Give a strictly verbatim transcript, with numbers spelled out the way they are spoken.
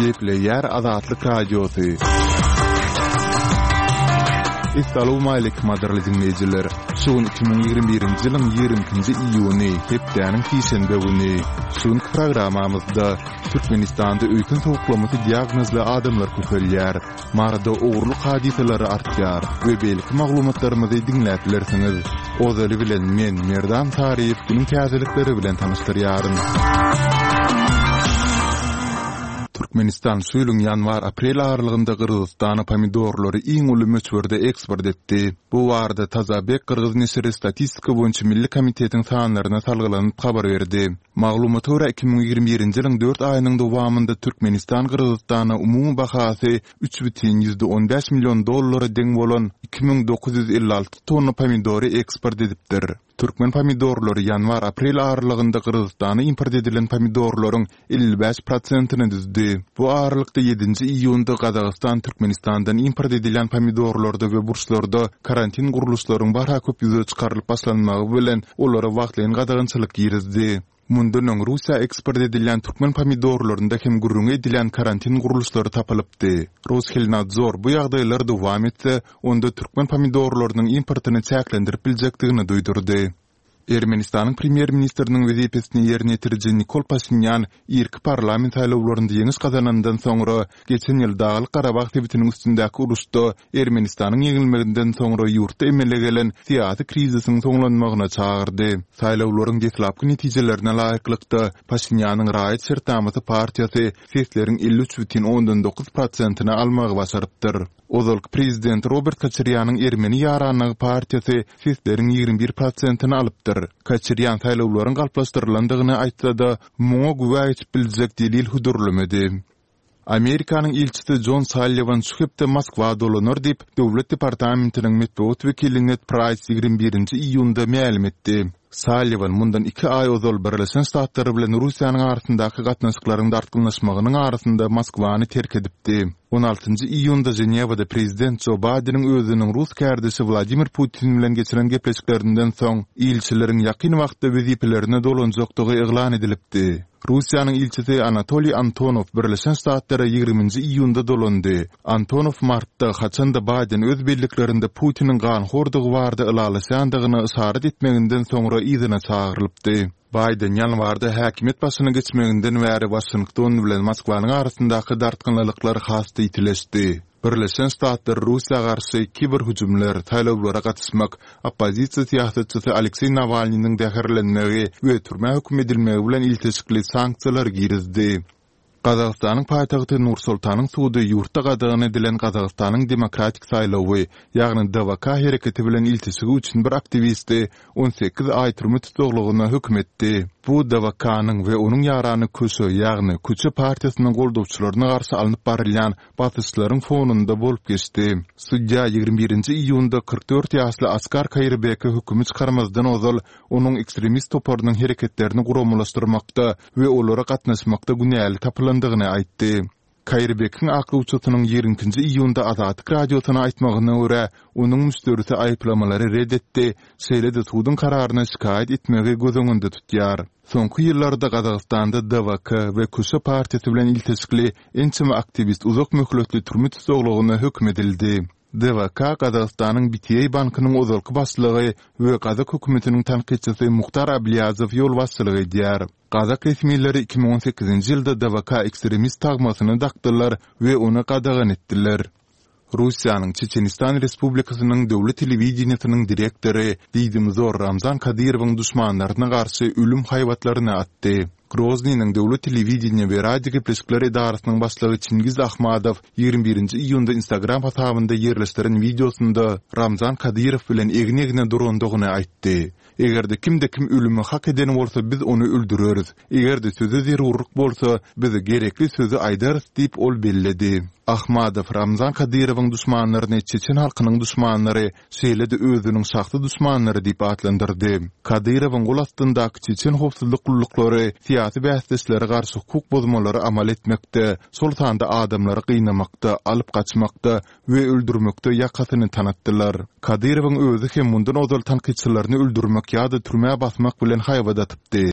Gepleýär Azatlyk Radiosy. Essalawmaleýkim gadyrly diňleýjiler! Şu gün iki müň ýigrimi birinji ýylyň ýigrimi ikinji iýuny, hepdäniň sişenbe güni. Şu günki programmamyzda Türkmenistanda öýken sowuklamasy diagnozly adamlar köpelýär. Maryda ogurlyk hadysalary artýar we beýleki maglumatlarymyzy diňläp bilersiňiz. Ozaly bilen men, Merdan Saryýew günüň täzelikleri bilen tanyşdyrýaryn. Türkmenistan şu ýylyň ýanwar-aprel aralygynda Gyrgyzystana pomidorlary iň uly möçberde eksport etdi. Bu barada Tazabek gyrgyz neşiri Statistika boýunça milli komitetiň sanlaryna salgylanyp habar berdi. Maglumata görä, iki müň ýigrimi birinji ýylyň dört aýynyň dowamynda Türkmenistan Gyrgyzystana umumy bahasy üç bütin ýüzde on bäş million dollara deň bolan iki müň dokuz ýüz elli alty tonna pomidory eksport edipdir. Türkmen pomidorlary ýanwar-aprel aralygynda Gyrgyzystana import edilen pomidorlaryň elli bäş prosentini düzdi. Bu aralykda ýedinji iýunda Gazagystan Türkmenistandan import edilýän pomidorlarda we burçlarda karantin gurluşlaryň barha köp ýüze çykarylyp başlanmagy bilen olara wagtlaýyn gadagançylyk girizdi. Mundan öň Russiýa eksport edilýän türkmen pomidorlarynda hem gürrüňi edilýän karantin gurluşlary tapylypdy. Roshelnadzor bu ýagdaýlar dowam etse, onda türkmen pomidorlarynyň importyny çäklendirip biljekdigini duýdurdy. Ermenistanyň premýer-ministriniň wezipesini ýerine ýetiriji Nikol Paşinýan irki parlament saýlawlarynda ýeňiş gazanandan soňra, geçen ýyl Daglyk-Garabag sebitiniň üstündäki uruşda Ermenistanyň ýeňilmeginden soňra ýurtda emele gelen syýasy krizisiň soňlanmagyna çagyrdy. Saýlawlaryň deslapky netijelerine laýyklykda, Paşinýanyň Raýat şertnamasy partiýasy sesleriň elli üç bütin ondan dokuz prosentini almagy başarypdyr. Ozalky prezident Robert Koçarýanyň Ermeni ýaranlygy partiýasy sesleriň ýigrimi bir prosentini alypdyr. Koçarýan saýlawlaryň galplaşdyrylandygyny aýtsa-da, muňa güwä geçip biljek delil hödürlemedi. Amerikanyň ilçisi Jon Salliwan şu hepde Moskwa dolanar diýip, Döwlet departamentiniň metbugat wekili Ned Praýs ýigrimi birinji iýunda mälim etdi. Salliwan mundan iki aý ozal Birleşen Ştatlar bilen Russiýanyň arasyndaky gatnaşyklaryň dartgynlaşmagynyň arasynda Moskwany terk edipdi. On altynjy iýunda Ženewada prezident Jo Baýdeniň özüniň rus kärdeşi Wladimir Putin bilen geçiren gepleşiklerinden soň, ilçileriň ýakyn wagtda wezipelerine dolanjakdygy yglan edilipdi. Russiýanyň ilçisi Anatoliý Antonow Birleşen Ştatlara ýigriminji iýunda dolandy. Antonow martda, haçan-da Baýden öz belliklerinde Putiniň ganhordygy barada ylalaşýandygyna yşarat etmeginden soňra yzyna çagyrylypdy. Baýden ýanwarda häkimiýet başyna geçmeginden bäri Waşington bilen Moskwanyň arasyndaky dartgynlylyklar has-da ýitileşdi. Birleşen Ştatlar Russiýa garşy kiberhüjümler, saýlawlara gatyşmak, oppozisiýa syýasatçysy Alekseý Nawalnynyň zäherlenmegi we türmä höküm edilmegi bilen ilteşikli sanksiýalary girizdi. Gazagystanyň paýtagty Nur-Sultanyň sudy ýurtda gadagan edilen Gazagystanyň Demokratik saýlawy, ýagny D W K hereketi bilen ilteşigi üçin bir aktiwisti on sekiz aý türme tussaglygyna höküm etdi. Bu D W K-nyň we onuň ýarany Köşe, ýagny Köçe partiýasynyň goldawçylaryna garşy alnyp barylýan basyşlaryň fonunda bolup geçdi. Sudýa ýigrimi birinji iýunda kyrk dört ýaşly Askar Kaýyrbeke hökümi çykarmazdan ozal onuň ekstremist toparynyň hereketlerini guramalaşdyrmakda we olara gatnaşmakda günäli tapylandygyny aýtdy. Kaýyrbekiň aklawçysynyň ýigrimi ikinji iýunda Azatlyk Radiosyna aýtmagyna görä, onuň müşderisi aýyplamalary ret etdi, şeýle-de suduň kararyna şikaýat etmegi göz öňünde tutýar. Soňky ýyllarda Gazagystanda D W K we Köşe partiýasy bilen ilteşikli ençeme aktiwist uzak möhletli türme tussaglygyna höküm edildi. D W K Gazagystanyň B T A bankynyň ozalky başlygy we gazak hökümetiniň tankytçysy Muhtar Ablýazow ýolbaşçylyk edýär. Gazak resmileri iki müň on sekizinji ýylda D W K ekstremist tagmasyny dakdylar we ony gadagan etdiler. Russiýanyň Çeçenistan Respublikasynyň döwlet telewideniýesiniň direktory diýdimzor Ramzan Kadyrowyň duşmanlaryna garşy ölüm haýbatlaryny atdy. Groznynyň döwlet telewideniýe we radio gepleşikler edarasynyň başlygy Çingiz Ahmadow ýigrimi birinji iýunda Instagram hasabynda ýerleşdiren wideosynda Ramzan Kadyrow bilen egin-egne durandygyny aýtdy. Eger-de kimde-kim ölümi hak eden bolsa biz ony öldüreris. Eger-de söze zerurlyk bolsa, biz gerekli sözi aýdarys diýip ol belledi. Ahmadow Ramzan Kadyrowyň duşmanlaryny çeçen halkynyň duşmanlary, şeýle-de özüniň şahsy duşmanlary diýip atlandyrdy. Kadyrowyň gol astyndaky çeçen howpsuzlyk gulluklary syýasy bäsdeşlere garşy hukuk bozmalary amal etmekde, şol sanda adamlary gynamakda, alyp gaçmakda we öldürmekde ýakasyny tanatdylar. Kadyrowyň özi hem mundan ozal tankytçylaryny öldürmek ýa-da türmä basmak bilen haýbat atypdy.